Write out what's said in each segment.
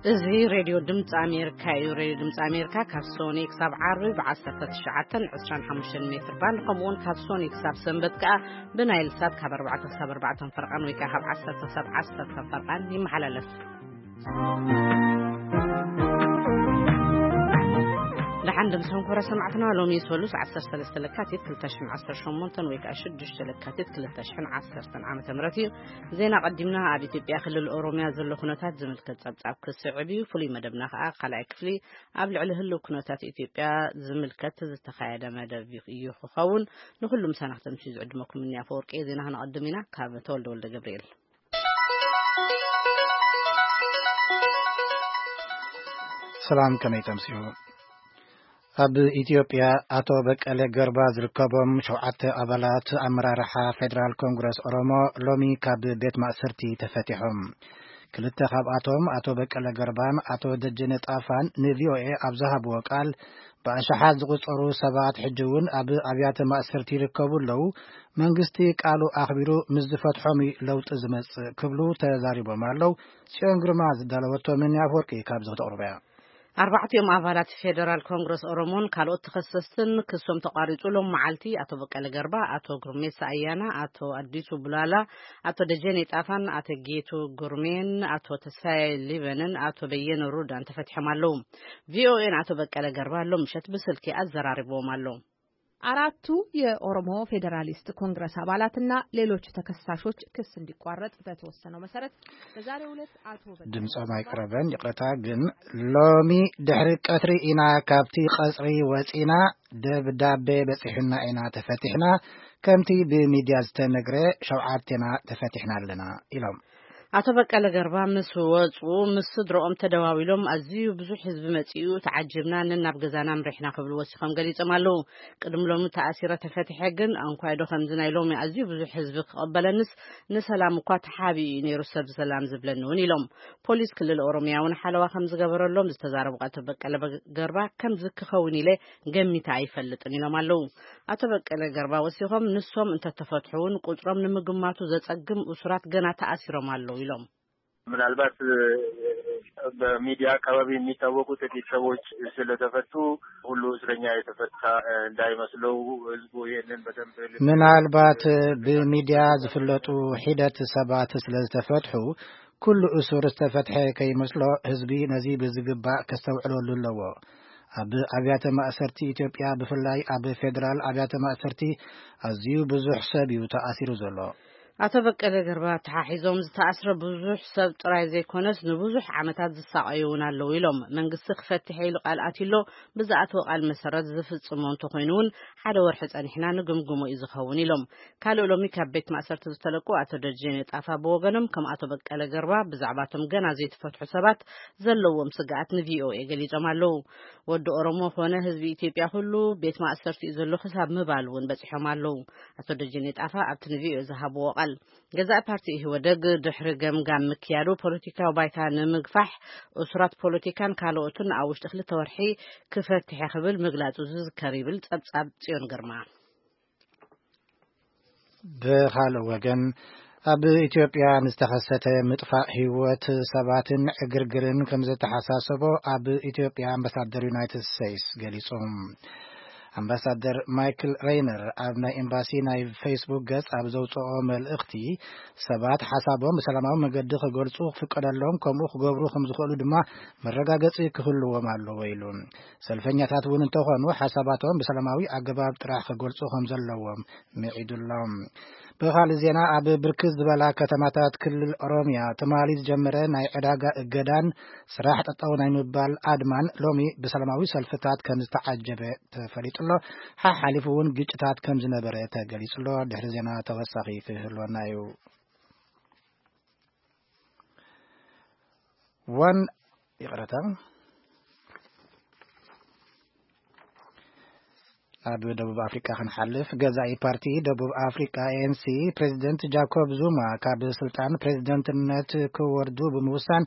እዚ ሬድዮ ድምፂ ኣሜሪካ እዩ። ሬድዮ ድምፂ ኣሜሪካ ካብ ሶኒ ክሳብ ዓርቢ ብ19፣ 25 ሜትር ባንድ፣ ከምኡውን ካብ ሶኒ ክሳብ ሰንበት ከኣ ብናይል ሳት ካብ ኣርባዕተ ክሳብ ኣርባዕተ ፈርቓን ወይ ከኣ ካብ ዓሰርተ ክሳብ ዓሰርተ ፈርቓን ይመሓላለፍ። ደሓን ድምፅኹም ክብረ ሰማዕትና፣ ሎሚ ሰሉስ ዓሰርተ ሰለስተ ለካቲት ክልተ ሽሕን ዓሰርተ ሸሞንተን ወይ ከኣ ሽዱሽተ ለካቲት ክልተ ሽሕን ዓሰርተን ዓመተ ምህረት እዩ። ዜና ቀዲምና። ኣብ ኢትዮጵያ ክልል ኦሮሚያ ዘሎ ኩነታት ዝምልከት ጸብጻብ ክስዕብ እዩ። ፍሉይ መደብና ከኣ ካልኣይ ክፍሊ ኣብ ልዕሊ ህልው ኩነታት ኢትዮጵያ ዝምልከት ዝተኻየደ መደብ እዩ ክኸውን። ንኹሉ ምሳና ክተምሽዩ ዝዕድመኩም እኒ ኣፈወርቂ። ዜና ክነቐድም ኢና። ካብ ተወልደ ወልደ ገብርኤል። ሰላም፣ ከመይ ተምስዩ? ኣብ ኢትዮጵያ ኣቶ በቀለ ገርባ ዝርከቦም ሸውዓተ ኣባላት ኣመራርሓ ፌደራል ኮንግረስ ኦሮሞ ሎሚ ካብ ቤት ማእሰርቲ ተፈቲሖም። ክልተ ካብኣቶም ኣቶ በቀለ ገርባን ኣቶ ደጀነ ጣፋን ንቪኦኤ ኣብ ዝሃብዎ ቃል፣ ብኣሽሓት ዝቑጸሩ ሰባት ሕጂ እውን ኣብ ኣብያተ ማእሰርቲ ይርከቡ ኣለዉ። መንግስቲ ቃሉ ኣኽቢሩ ምስ ዝፈትሖም እዩ ለውጢ ዝመጽእ ክብሉ ተዛሪቦም ኣለዉ። ጽዮን ግርማ ዝዳለወቶ መኒ ኣፈወርቂ ካብዚ ክተቕርቦ እያ። ኣርባዕቲኦም ኣባላት ፌደራል ኮንግረስ ኦሮሞን ካልኦት ተኸሰስትን ክሶም ተቋሪጹ ሎም መዓልቲ ኣቶ በቀለ ገርባ፣ ኣቶ ጉርሜሳ ኣያና፣ ኣቶ ኣዲሱ ቡላላ፣ ኣቶ ደጀኔ ጣፋን፣ ኣቶ ጌቱ ጉርሜን፣ ኣቶ ተስፋዬ ሊበንን ኣቶ በየነ ሩዳን ተፈቲሖም ኣለዉ። ቪኦኤን ኣቶ በቀለ ገርባ ሎም ምሸት ብስልኪ ኣዘራሪብዎም ኣሎ። አራቱ የኦሮሞ ፌዴራሊስት ኮንግረስ አባላትና ሌሎች ተከሳሾች ክስ እንዲቋረጥ በተወሰነው መሰረት በዛሬው ዕለት አቶ በቀለ ድምፆም ገርባ አይቀረበን፣ ይቅረታ። ግን ሎሚ ድሕሪ ቀትሪ ኢና ካብቲ ቀጽሪ ወጺና፣ ደብዳቤ በጺሑና ኢና ተፈቲሕና። ከምቲ ብሚድያ ዝተነግረ ሸውዓቴና ተፈቲሕና ኣለና ኢሎም። ኣቶ በቀለ ገርባ ምስ ወጹ ምስ ስድረኦም ተደዋዊሎም፣ ኣዝዩ ብዙሕ ህዝቢ መጺኡ፣ ተዓጅብና፣ ነናብ ገዛና ኣምሪሕና ክብሉ ወሲኾም ገሊጾም ኣለዉ። ቅድሚ ሎሚ ተኣሲረ ተፈቲሐ ግን፣ እንኳይ ዶ ከምዚ ናይ ሎሚ ኣዝዩ ብዙሕ ህዝቢ ክቐበለንስ፣ ንሰላም እኳ ተሓቢኡ እዩ ነይሩ ሰብ ሰላም ዝብለኒ እውን ኢሎም። ፖሊስ ክልል ኦሮሚያ እውን ሓለዋ ከም ዝገበረሎም ዝተዛረቡ ኣቶ በቀለ ገርባ፣ ከምዚ ክኸውን ኢለ ገሚተ ኣይፈልጥን ኢሎም ኣለዉ። ኣቶ በቀለ ገርባ ወሲኾም፣ ንሶም እንተተፈትሑ እውን ቁጽሮም ንምግማቱ ዘጸግም እሱራት ገና ተኣሲሮም ኣለዉ ኢሎም። ምናልባት በሚዲያ አካባቢ የሚታወቁ ጥቂት ሰዎች ስለተፈቱ ሁሉ እስረኛ የተፈታ እንዳይመስለው፣ ህዝቡ ይህንን በደንብ ልብ ምናልባት ብሚዲያ ዝፍለጡ ሒደት ሰባት ስለዝተፈትሑ ኩሉ እሱር ዝተፈትሐ ከይመስሎ፣ ህዝቢ ነዚ ብዝግባእ ከስተውዕለሉ ኣለዎ። ኣብ ኣብያተ ማእሰርቲ ኢትዮጵያ፣ ብፍላይ ኣብ ፌዴራል ኣብያተ ማእሰርቲ፣ ኣዝዩ ብዙሕ ሰብ እዩ ተኣሲሩ ዘሎ። ኣቶ በቀለ ገርባ ተሓሒዞም፣ ዝተኣስረ ብዙሕ ሰብ ጥራይ ዘይኮነስ፣ ንብዙሕ ዓመታት ዝሳቐዩ እውን ኣለዉ ኢሎም። መንግስቲ ክፈትሐ ኢሉ ቃል ኣትዩ ኣሎ፣ ብዝኣተወ ቃል መሰረት ዝፍጽሞ እንተኾይኑ እውን፣ ሓደ ወርሒ ጸኒሕና ንግምግሞ እዩ ዝኸውን ኢሎም። ካልእ ሎሚ ካብ ቤት ማእሰርቲ ዝተለቁ ኣቶ ደጀኔ ጣፋ ብወገኖም፣ ከም ኣቶ በቀለ ገርባ ብዛዕባቶም ገና ዘይተፈትሑ ሰባት ዘለዎም ስግኣት ንቪኦኤ ገሊጾም ኣለዉ። ወዲ ኦሮሞ ኮነ ህዝቢ ኢትዮጵያ ኩሉ ቤት ማእሰርቲ እዩ ዘሎ ክሳብ ምባል እውን በጺሖም ኣለዉ። ኣቶ ደጀኔ ጣፋ ኣብቲ ንቪኦኤ ዝሃብዎ ቃል፣ ገዛኢ ፓርቲ ኢህወደግ ድሕሪ ገምጋም ምክያዱ ፖለቲካዊ ባይታ ንምግፋሕ እሱራት ፖለቲካን ካልኦትን ኣብ ውሽጢ ክልተ ወርሒ ክፈትሕ ክብል ምግላጹ ዝዝከር ይብል ጸብጻብ ጽዮን ግርማ። ብኻልእ ወገን፣ ኣብ ኢትዮጵያ ንዝተኸሰተ ምጥፋእ ህይወት ሰባትን ዕግርግርን ከም ዘተሓሳሰቦ ኣብ ኢትዮጵያ ኣምባሳደር ዩናይትድ ስቴትስ ገሊጹ። ኣምባሳደር ማይክል ሬይነር ኣብ ናይ ኤምባሲ ናይ ፌስቡክ ገጽ ኣብ ዘውጽኦ መልእኽቲ፣ ሰባት ሓሳቦም ብሰላማዊ መገዲ ክገልጹ ክፍቀደሎም፣ ከምኡ ክገብሩ ከም ዝኽእሉ ድማ መረጋገጺ ክህልዎም ኣለዎ ኢሉ። ሰልፈኛታት እውን እንተኾኑ ሓሳባቶም ብሰላማዊ ኣገባብ ጥራሕ ክገልጹ ከም ዘለዎም ምዒዱሎም። ብኻልእ ዜና፣ ኣብ ብርክት ዝበላ ከተማታት ክልል ኦሮሚያ ትማሊ ዝጀመረ ናይ ዕዳጋ እገዳን ስራሕ ጠጠው ናይ ምባል ኣድማን ሎሚ ብሰላማዊ ሰልፍታት ከም ዝተዓጀበ ተፈሊጡ ኣሎ። ሓሓሊፉ እውን ግጭታት ከም ዝነበረ ተገሊጹ ኣሎ። ድሕሪ ዜና ተወሳኺ ክህልወና እዩ። ዋን-፣ ይቕረታ። ኣብ ደቡብ ኣፍሪቃ ክንሓልፍ፣ ገዛኢ ፓርቲ ደቡብ ኣፍሪቃ፣ ኤ ኤን ሲ፣ ፕሬዚደንት ጃኮብ ዙማ ካብ ስልጣን ፕሬዚደንትነት ክወርዱ ብምውሳን፣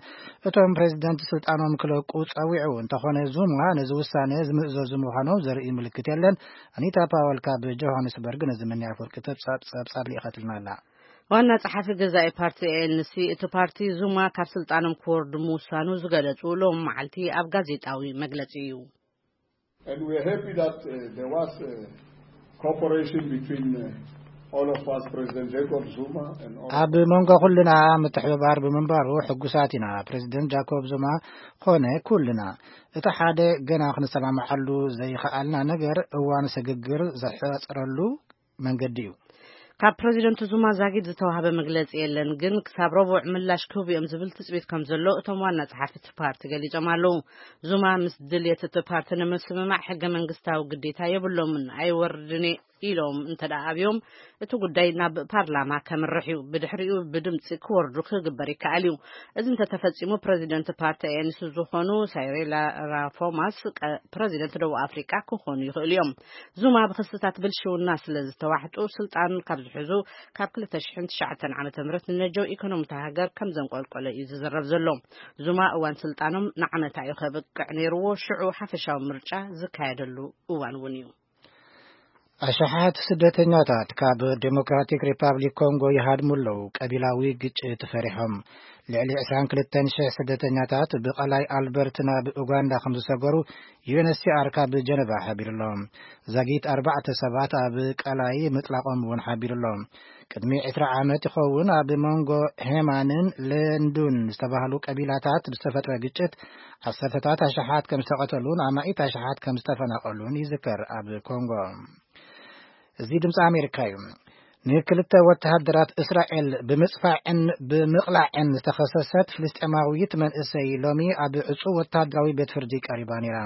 እቶም ፕሬዚደንት ስልጣኖም ክለቁ ጸዊዑ። እንተኾነ፣ ዙማ ነዚ ውሳነ ዝምእዘዙ ምዃኖም ዘርኢ ምልክት የለን። ኣኒታ ፓወል ካብ ጆሃንስበርግ ነዚ መኒ ኣፈወርቂ ተብጻብ-፣ ጸብጻብ ልኢኻትልና ኣላ። ዋና ጸሓፊ ገዛኢ ፓርቲ ኤ ኤን ሲ፣ እቲ ፓርቲ ዙማ ካብ ስልጣኖም ክወርዱ ምውሳኑ ዝገለጹ ሎም መዓልቲ ኣብ ጋዜጣዊ መግለጺ እዩ። And we are happy that uh, there was uh, cooperation between uh, all of us, President Jacob Zuma and all ኣብ መንጎ ኩልና ምትሕብባር ብምንባሩ ሕጉሳት ኢና። ፕሬዚደንት ጃኮብ ዙማ ኮነ ኩልና፣ እቲ ሓደ ገና ክንሰማምዓሉ ዘይኸኣልና ነገር እዋን ስግግር ዘሕጽረሉ መንገዲ እዩ። ካብ ፕሬዚደንት ዙማ ዛጊድ ዝተዋህበ መግለጺ የለን፣ ግን ክሳብ ረቡዕ ምላሽ ክህቡ እዮም ዝብል ትጽቢት ከም ዘሎ እቶም ዋና ጸሓፊ እቲ ፓርቲ ገሊጾም ኣለዉ። ዙማ ምስ ድልየት እቲ ፓርቲ ንምስምማዕ ሕገ መንግስታዊ ግዴታ የብሎምን፣ ኣይወርድን እየ ኢሎም እንተ ደኣ ኣብዮም፣ እቲ ጉዳይ ናብ ፓርላማ ከምርሕ እዩ። ብድሕሪኡ ብድምጺ ክወርዱ ክግበር ይከኣል እዩ። እዚ እንተተፈጺሙ፣ ፕሬዚደንት ፓርቲ ኤ ኤን ሲ ዝኾኑ ሳይሪላ ራፎማስ ቀ-፣ ፕሬዚደንት ደቡብ ኣፍሪቃ ክኾኑ ይኽእሉ እዮም። ዙማ ብክስታት ብልሽውና ስለ ዝተዋሕጡ፣ ስልጣን ካብ ዝሕዙ ካብ ክልተ ሽሕን ትሽዓተን ዓመተ ምህረት ንነጀው ኢኮኖሚ እታ ሃገር ከም ዘንቆልቆለ እዩ ዝዝረብ ዘሎ። ዙማ እዋን ስልጣኖም ንዓመታ እዩ ከብቅዕ ነይርዎ። ሽዑ ሓፈሻዊ ምርጫ ዝካየደሉ እዋን እውን እዩ። ኣሽሓት ስደተኛታት ካብ ዴሞክራቲክ ሪፓብሊክ ኮንጎ ይሃድሙ ኣለዉ፣ ቀቢላዊ ግጭት ፈሪሖም። ልዕሊ ዕስራን ክልተን ሽሕ ስደተኛታት ብቐላይ ኣልበርት ናብ ኡጋንዳ ከም ዝሰገሩ ዩ ኤን ኤች ሲ ኣር ካብ ጀነቫ ሓቢሩ ኣሎ። ዛጊት ኣርባዕተ ሰባት ኣብ ቀላይ ምጥላቖም እውን ሓቢሩ ኣሎ። ቅድሚ ዕስራ ዓመት ይኸውን ኣብ መንጎ ሄማንን ለንዱን ዝተባህሉ ቀቢላታት ብዝተፈጥረ ግጭት ዓሰርተታት ኣሽሓት ከም ዝተቐተሉን ኣማኢት ኣሽሓት ከም ዝተፈናቐሉን ይዝከር። ኣብ ኮንጎ፣ እዚ ድምፂ ኣሜሪካ እዩ። ንክልተ ወተሃደራት እስራኤል ብምፅፋዕን ብምቕላዕን ዝተኸሰሰት ፍልስጤማዊት መንእሰይ ሎሚ ኣብ ዕፁ ወተሃደራዊ ቤት ፍርዲ ቀሪባ ነይራ።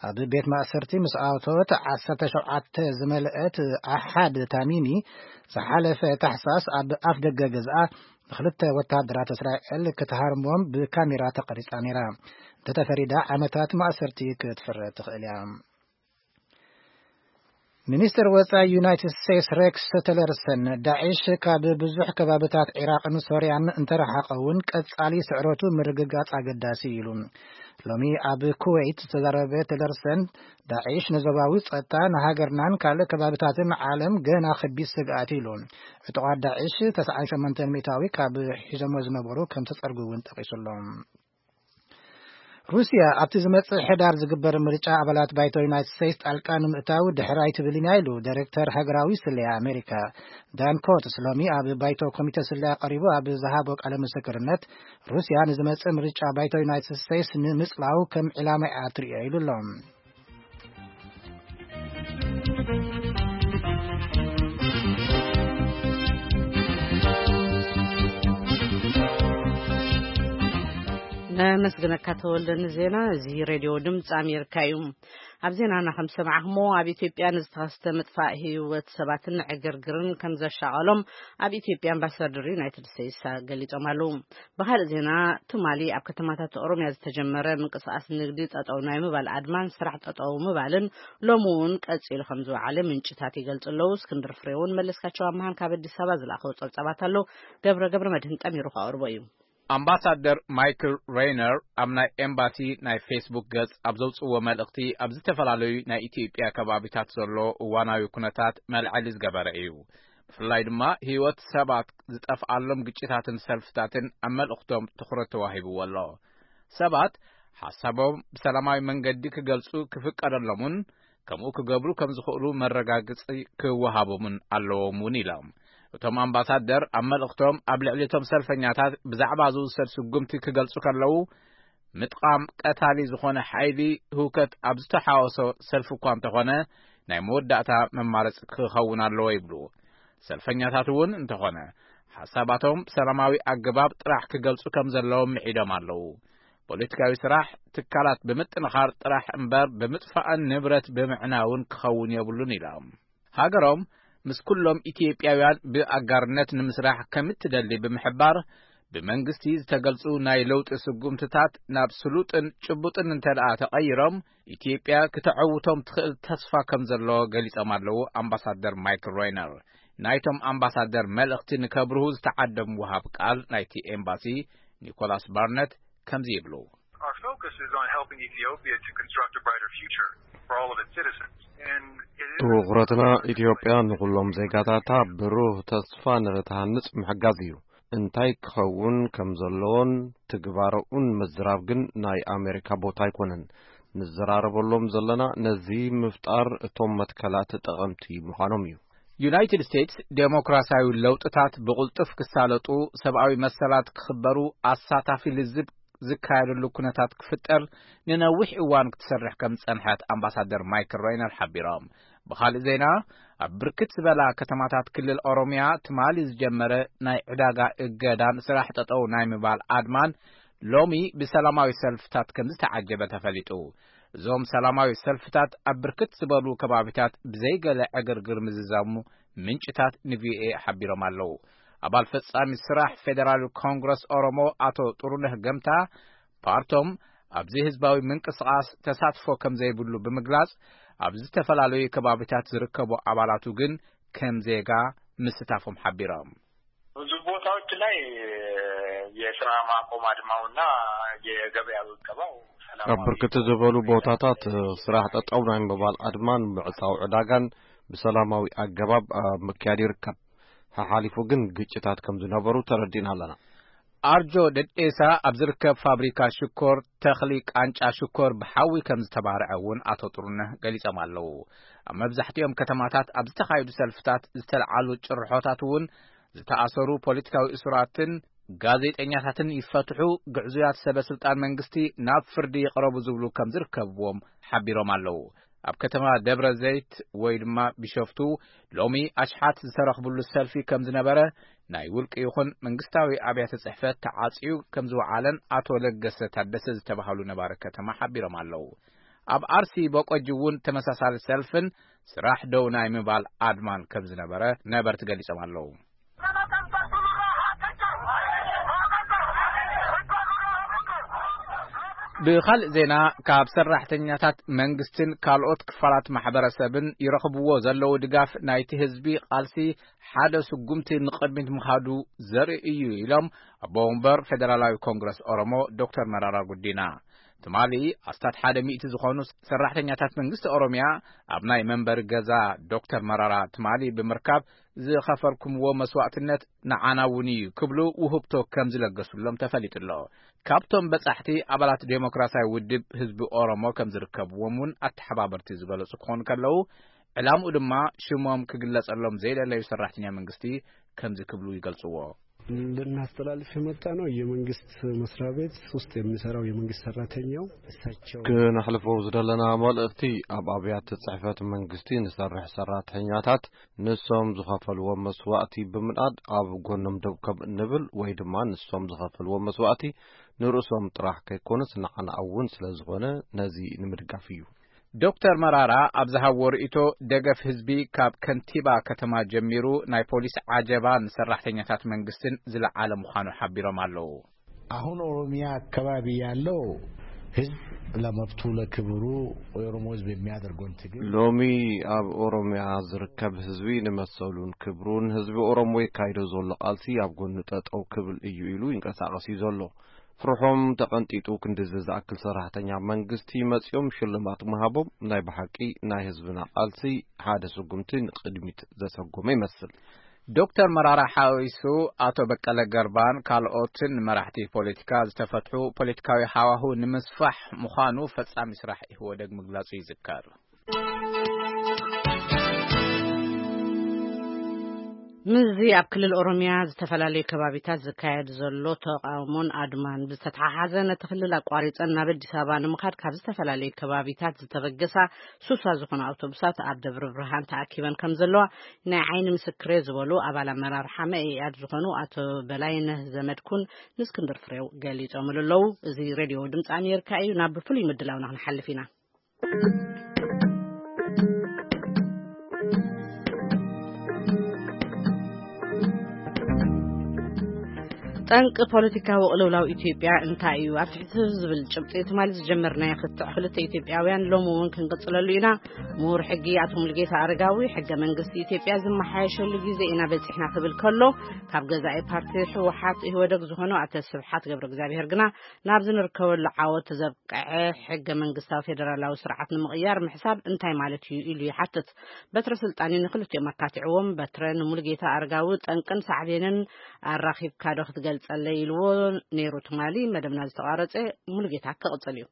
ኣብ ቤት ማእሰርቲ ምስ ኣቶት ዓሰርተ ሸውዓተ ዝመልአት ኣሓድ ታሚሚ ዝሓለፈ ታሕሳስ ኣብ ኣፍ ደገ ገዝኣ ንክልተ ወተሃደራት እስራኤል ክትሃርሞም ብካሜራ ተቐሪጻ ነይራ። እንተተፈሪዳ ዓመታት ማእሰርቲ ክትፍረድ ትኽእል እያ። ሚኒስትር ወጻኢ ዩናይትድ ስቴትስ ሬክስ ቲለርሰን፣ ዳዒሽ ካብ ብዙሕ ከባብታት ዒራቕን ሶርያን እንተረሓቐ እውን ቀጻሊ ስዕረቱ ምርግጋጽ ኣገዳሲ ኢሉ። ሎሚ ኣብ ኩዌት ዝተዛረበ ቲለርሰን፣ ዳዒሽ ንዞባዊ ጸጥታ፣ ንሃገርናን ካልእ ከባብታትን ዓለም ገና ከቢድ ስግኣት ኢሉ። ዕጡቓት ዳዒሽ ተስዓን ሸሞንተን ሚእታዊ ካብ ሒዞሞ ዝነበሩ ከም ተጸርጉ እውን ጠቒሱ ኣሎ። ሩስያ ኣብቲ ዝመጽእ ሕዳር ዝግበር ምርጫ ኣባላት ባይቶ ዩናይትድ ስቴትስ ጣልቃ ንምእታው ድሕር ኣይትብልን እያ ኢሉ ዳይሬክተር ሃገራዊ ስለያ ኣሜሪካ ዳን ኮትስ ሎሚ ኣብ ባይቶ ኮሚተ ስለያ ቀሪቡ ኣብ ዝሃቦ ቃለ ምስክርነት፣ ሩስያ ንዝመጽእ ምርጫ ባይቶ ዩናይትድ ስቴትስ ንምጽላው ከም ዕላማ እያ ትርእዮ ኢሉ ኣሎ። ነመስግነካ ተወልደ ንዜና። እዚ ሬድዮ ድምፂ ኣሜሪካ እዩ። ኣብ ዜናና ከም ሰማዕኹሞ፣ ኣብ ኢትዮጵያ ንዝተኸስተ ምጥፋእ ህይወት ሰባትን ዕግርግርን ከም ዘሻቐሎም ኣብ ኢትዮጵያ ኣምባሳደር ዩናይትድ ስቴትስ ገሊጾም ኣለዉ። ብኻልእ ዜና፣ ትማሊ ኣብ ከተማታት ኦሮምያ ዝተጀመረ ምንቅስቃስ ንግዲ ጠጠው ናይ ምባል ኣድማን ስራሕ ጠጠው ምባልን ሎሚ እውን ቀጺሉ ከም ዝወዓለ ምንጭታት ይገልጹ ኣለዉ። እስክንድር ፍሬውን መለስካቸው ኣምሃን ካብ ኣዲስ ኣበባ ዝለኣኸው ጸብጻባት ኣሎ። ገብረ፣ ገብረ መድህን ጠሚሩ ከቕርቦ እዩ። ኣምባሳደር ማይክል ሬይነር ኣብ ናይ ኤምባሲ ናይ ፌስቡክ ገጽ ኣብ ዘውጽእዎ መልእኽቲ፣ ኣብ ዝተፈላለዩ ናይ ኢትዮጵያ ከባቢታት ዘሎ እዋናዊ ኩነታት መልዐሊ ዝገበረ እዩ። ብፍላይ ድማ ህይወት ሰባት ዝጠፍኣሎም ግጭታትን ሰልፍታትን ኣብ መልእኽቶም ትኹረት ተዋሂብዎ ኣሎ። ሰባት ሓሳቦም ብሰላማዊ መንገዲ ክገልጹ ክፍቀደሎምን ከምኡ ክገብሩ ከም ዝኽእሉ መረጋገጺ ክወሃቦምን ኣለዎም እውን ኢሎም። እቶም ኣምባሳደር ኣብ መልእኽቶም፣ ኣብ ልዕሊ እቶም ሰልፈኛታት ብዛዕባ ዝውሰድ ስጉምቲ ክገልጹ ከለዉ፣ ምጥቓም ቀታሊ ዝኾነ ሓይሊ ህውከት ኣብ ዝተሓወሶ ሰልፊ እኳ እንተኾነ፣ ናይ መወዳእታ መማረፂ ክኸውን ኣለዎ ይብሉ። ሰልፈኛታት እውን እንተኾነ፣ ሓሳባቶም ብሰላማዊ ኣገባብ ጥራሕ ክገልጹ ከም ዘለዎም ምዒዶም ኣለዉ። ፖለቲካዊ ስራሕ ትካላት ብምጥንኻር ጥራሕ እምበር፣ ብምጥፋእን ንብረት ብምዕናውን ክኸውን የብሉን ኢሎም። ሃገሮም ምስ ኩሎም ኢትዮጵያውያን ብኣጋርነት ንምስራሕ ከም እትደሊ ብምሕባር፣ ብመንግስቲ ዝተገልጹ ናይ ለውጢ ስጉምትታት ናብ ስሉጥን ጭቡጥን እንተ ደኣ ተቐይሮም፣ ኢትዮጵያ ክተዐውቶም ትኽእል ተስፋ ከም ዘሎ ገሊጾም ኣለዉ ኣምባሳደር ማይክል ሮይነር። ናይቶም ኣምባሳደር መልእኽቲ ንከብርሁ ዝተዓደሙ ወሃብ ቃል ናይቲ ኤምባሲ ኒኮላስ ባርነት ከምዚ ይብሉ። Our focus is on helping Ethiopia to construct a brighter future. for all of its citizens. And it is ትኹረትና ኢትዮጵያ ንኹሎም ዜጋታታ ብሩህ ተስፋ ንኽትሃንጽ ምሕጋዝ እዩ። እንታይ ክኸውን ከም ዘለዎን ትግባረኡን ምዝራብ ግን ናይ ኣሜሪካ ቦታ ኣይኮነን። ንዘራረበሎም ዘለና ነዚ ምፍጣር እቶም መትከላት ጠቐምቲ ምዃኖም እዩ። ዩናይትድ ስቴትስ ዴሞክራሲያዊ ለውጥታት ብቕልጡፍ ክሳለጡ፣ ሰብኣዊ መሰላት ክኽበሩ፣ ኣሳታፊ ልዝብ ዝካየደሉ ኩነታት ክፍጠር ንነዊሕ እዋን ክትሰርሕ ከም ዝጸንሐት ኣምባሳደር ማይክል ሮይነር ሓቢሮም። ብኻልእ ዜና፣ ኣብ ብርክት ዝበላ ከተማታት ክልል ኦሮሚያ ትማሊ ዝጀመረ ናይ ዕዳጋ እገዳን ስራሕ ጠጠው ናይ ምባል ኣድማን ሎሚ ብሰላማዊ ሰልፍታት ከም ዝተዓጀበ ተፈሊጡ። እዞም ሰላማዊ ሰልፍታት ኣብ ብርክት ዝበሉ ከባቢታት ብዘይገለ ዕግርግር ምዝዛሙ ምንጭታት ንቪኦኤ ሓቢሮም ኣለዉ። ኣባል ፈጻሚ ስራሕ ፌደራል ኮንግረስ ኦሮሞ ኣቶ ጥሩነህ ገምታ፣ ፓርቶም ኣብዚ ህዝባዊ ምንቅስቓስ ተሳትፎ ከም ዘይብሉ ብምግላጽ፣ ኣብ ዝተፈላለዩ ከባቢታት ዝርከቡ ኣባላቱ ግን ከም ዜጋ ምስታፎም ሓቢሮም። ብዙ ቦታዎች ላይ የስራ ማቆም አድማውና የገበያ እቀባው ኣብ ሰላማዊ ብርክት ዝበሉ ቦታታት ስራሕ ጠጠው ናይ ምባል ኣድማን ምዕጻው ዕዳጋን ብሰላማዊ ኣገባብ ኣብ ምክያድ ይርከብ። ሓሓሊፉ ግን ግጭታት ከም ዝነበሩ ተረዲእና ኣለና። ኣርጆ ደዴሳ ኣብ ዝርከብ ፋብሪካ ሽኮር ተኽሊ ቃንጫ ሽኮር ብሓዊ ከም ዝተባርዐ እውን ኣቶ ጥሩነህ ገሊጾም ኣለዉ። ኣብ መብዛሕትኦም ከተማታት ኣብ ዝተኻየዱ ሰልፍታት ዝተለዓሉ ጭርሖታት እውን ዝተኣሰሩ ፖለቲካዊ እሱራትን ጋዜጠኛታትን ይፈትሑ፣ ግዕዙያት ሰበ ስልጣን መንግስቲ ናብ ፍርዲ ይቕረቡ ዝብሉ ከም ዝርከብዎም ሓቢሮም ኣለዉ። ኣብ ከተማ ደብረ ዘይት ወይ ድማ ቢሾፍቱ ሎሚ ኣሽሓት ዝተረኽብሉ ሰልፊ ከም ዝነበረ፣ ናይ ውልቂ ይኹን መንግስታዊ ኣብያተ ጽሕፈት ተዓጽዩ ከም ዝወዓለን ኣቶ ለገሰ ታደሰ ዝተባህሉ ነባሪ ከተማ ሓቢሮም ኣለዉ። ኣብ ኣርሲ በቆጂ እውን ተመሳሳሊ ሰልፍን ስራሕ ደው ናይ ምባል ኣድማን ከም ዝነበረ ነበርቲ ገሊጾም ኣለዉ። ብኻልእ ዜና፣ ካብ ሰራሕተኛታት መንግስትን ካልኦት ክፋላት ማሕበረሰብን ይረኽብዎ ዘለዉ ድጋፍ ናይቲ ህዝቢ ቃልሲ ሓደ ስጉምቲ ንቕድሚት ምኻዱ ዘርኢ እዩ ኢሎም ኣቦ ወንበር ፌደራላዊ ኮንግረስ ኦሮሞ ዶክተር መራራ ጉዲና። ትማሊ ኣስታት ሓደ ሚእቲ ዝኾኑ ሰራሕተኛታት መንግስቲ ኦሮሚያ ኣብ ናይ መንበሪ ገዛ ዶክተር መራራ ትማሊ ብምርካብ ዝኸፈልኩምዎ መስዋዕትነት ንዓና እውን እዩ ክብሉ ውህብቶ ከም ዝለገሱሎም ተፈሊጡ ኣሎ። ካብቶም በጻሕቲ ኣባላት ዴሞክራሲያዊ ውድብ ህዝቢ ኦሮሞ ከም ዝርከብዎም እውን ኣተሓባበርቲ ዝገለጹ ክኾኑ ከለዉ፣ ዕላምኡ ድማ ሽሞም ክግለጸሎም ዘይደለዩ ሰራሕተኛ መንግስቲ ከምዚ ክብሉ ይገልጽዎ። ልናስተላልፍ የመጣ ነው። የመንግስት መስሪያ ቤት ውስጥ የሚሰራው የመንግስት ሰራተኛው እሳቸው ክነሕልፎ ዝደለና መልእኽቲ፣ ኣብ ኣብያተ ጽሕፈት መንግስቲ ንሰርሕ ሰራሕተኛታት ንሶም ዝኸፈልዎም መስዋእቲ ብምንኣድ ኣብ ጎኖም ደው ከም እንብል ወይ ድማ ንሶም ዝኸፈልዎም መስዋእቲ ንርእሶም ጥራሕ ከይኮነስ ንዓና እውን ስለ ዝኾነ ነዚ ንምድጋፍ እዩ። ዶክተር መራራ ኣብ ዝሃብዎ ርእይቶ፣ ደገፍ ህዝቢ ካብ ከንቲባ ከተማ ጀሚሩ ናይ ፖሊስ ዓጀባ ንሰራሕተኛታት መንግስትን ዝለዓለ ምዃኑ ሓቢሮም ኣለዉ። አሁን ኦሮሚያ አካባቢ ያለው ህዝብ ለመብቱ ለክብሩ የኦሮሞ ህዝብ የሚያደርገውን ትግል ሎሚ ኣብ ኦሮሚያ ዝርከብ ህዝቢ ንመሰሉን ክብሩን ህዝቢ ኦሮሞ የካይዶ ዘሎ ቃልሲ ኣብ ጎኑ ጠጠው ክብል እዩ ኢሉ ይንቀሳቐስ እዩ ዘሎ። ፍርሖም ተቐንጢጡ ክንድዚ ዝኣክል ሰራሕተኛ መንግስቲ መጺኦም ሽልማት ምሃቦም ናይ ብሓቂ ናይ ህዝብና ቃልሲ ሓደ ስጉምቲ ንቕድሚት ዘሰጎመ ይመስል። ዶክተር መራራ ሓዊሱ ኣቶ በቀለ ገርባን ካልኦትን መራሕቲ ፖለቲካ ዝተፈትሑ ፖለቲካዊ ሃዋሁ ንምስፋሕ ምዃኑ ፈጻሚ ስራሕ ኢህወደግ ምግላጹ ይዝከር። ምስዚ ኣብ ክልል ኦሮሚያ ዝተፈላለዩ ከባቢታት ዝካየድ ዘሎ ተቃውሞን ኣድማን ብዝተተሓሓዘ፣ ነቲ ክልል ኣቋሪጸን ናብ ኣዲስ ኣበባ ንምኻድ ካብ ዝተፈላለዩ ከባቢታት ዝተበገሳ ሱሳ ዝኾና ኣውቶቡሳት ኣብ ደብረ ብርሃን ተኣኪበን ከም ዘለዋ ናይ ዓይኒ ምስክሬ ዝበሉ ኣባል ኣመራርሓ መኢኣድ ዝኾኑ ኣቶ በላይነህ ዘመድኩን ንእስክንድር ፍሬው ገሊጾምሉ ኣለዉ። እዚ ሬድዮ ድምፂ ኣሜሪካ እዩ። ናብ ፍሉይ ምድላውና ክንሓልፍ ኢና። ጠንቂ ፖለቲካዊ ቅልውላው ኢትዮጵያ እንታይ እዩ? ኣብ ትሕቲ ዝብል ጭብጢ ትማሊ ዝጀመርናዮ ክትዕ ክልተ ኢትዮጵያውያን ሎሚ እውን ክንቅጽለሉ ኢና። ምሁር ሕጊ ኣቶ ሙሉጌታ ኣረጋዊ፣ ሕገ መንግስቲ ኢትዮጵያ ዝመሓየሸሉ ግዜ ኢና በጺሕና ክብል ከሎ፣ ካብ ገዛኢ ፓርቲ ህወሓት ኢህወደግ ዝኾኑ ኣቶ ስብሓት ገብረ እግዚኣብሔር ግና ናብዚ ንርከበሉ ዓወት ዘብቅዐ ሕገ መንግስታዊ ፌደራላዊ ስርዓት ንምቕያር ምሕሳብ እንታይ ማለት እዩ ኢሉ ይሓትት። በትረ ስልጣን እዩ ንክልቲኦም ኣካቲዕዎም። በትረ፣ ንሙሉጌታ ኣረጋዊ ጠንቅን ሳዕቤንን ኣራኺብካ ዶ ክትገልጸለይ ኢልዎ ነይሩ ትማሊ። መደብና ዝተቋረጸ፣ ሙሉጌታ ክቕጽል እዩ።